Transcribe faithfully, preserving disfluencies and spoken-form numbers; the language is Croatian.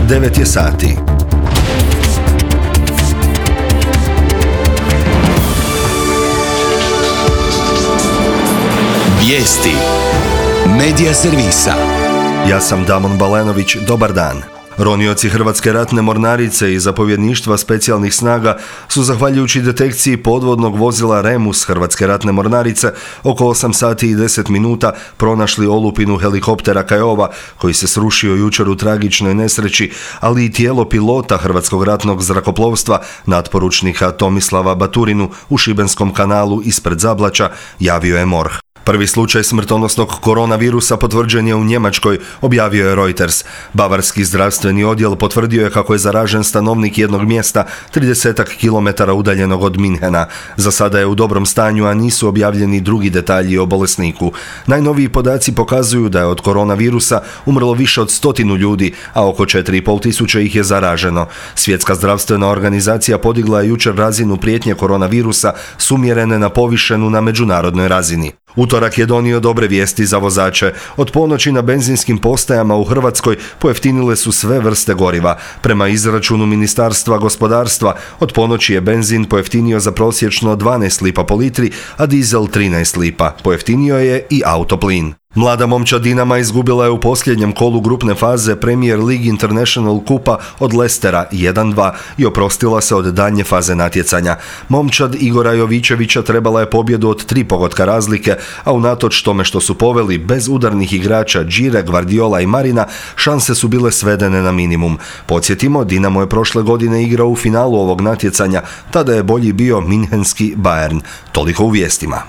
devet je sati. Vijesti Medija servisa. Ja sam Damon Balenović, dobar dan. Ronioci Hrvatske ratne mornarice i zapovjedništva specijalnih snaga su, zahvaljujući detekciji podvodnog vozila Remus Hrvatske ratne mornarice, oko osam sati i deset minuta pronašli olupinu helikoptera Kiowa koji se srušio jučer u tragičnoj nesreći, ali i tijelo pilota Hrvatskog ratnog zrakoplovstva, natporučnika Tomislava Baturinu, u Šibenskom kanalu ispred Zablaća, javio je MORH. Prvi slučaj smrtonosnog koronavirusa potvrđen je u Njemačkoj, objavio je Reuters. Bavarski zdravstveni odjel potvrdio je kako je zaražen stanovnik jednog mjesta tridesetak kilometara udaljenog od Minhena. Za sada je u dobrom stanju, a nisu objavljeni drugi detalji o bolesniku. Najnoviji podaci pokazuju da je od koronavirusa umrlo više od stotinu ljudi, a oko četiri i pol tisuće ih je zaraženo. Svjetska zdravstvena organizacija podigla je jučer razinu prijetnje koronavirusa s umjerene na povišenu na međunarodnoj razini. Utorak je donio dobre vijesti za vozače. Od ponoći na benzinskim postajama u Hrvatskoj pojeftinile su sve vrste goriva. Prema izračunu Ministarstva gospodarstva, od ponoći je benzin pojeftinio za prosječno dvanaest lipa po litri, a dizel trinaest lipa. Pojeftinio je i autoplin. Mlada momčad Dinama izgubila je u posljednjem kolu grupne faze Premier League International kupa od Leicestera jedan dva i oprostila se od daljnje faze natjecanja. Momčad Igora Jovićevića trebala je pobjedu od tri pogotka razlike, a unatoč tome što su poveli bez udarnih igrača Đire, Gvardiola i Marina, šanse su bile svedene na minimum. Podsjetimo, Dinamo je prošle godine igrao u finalu ovog natjecanja, tada je bolji bio minhenski Bayern. Toliko u vijestima.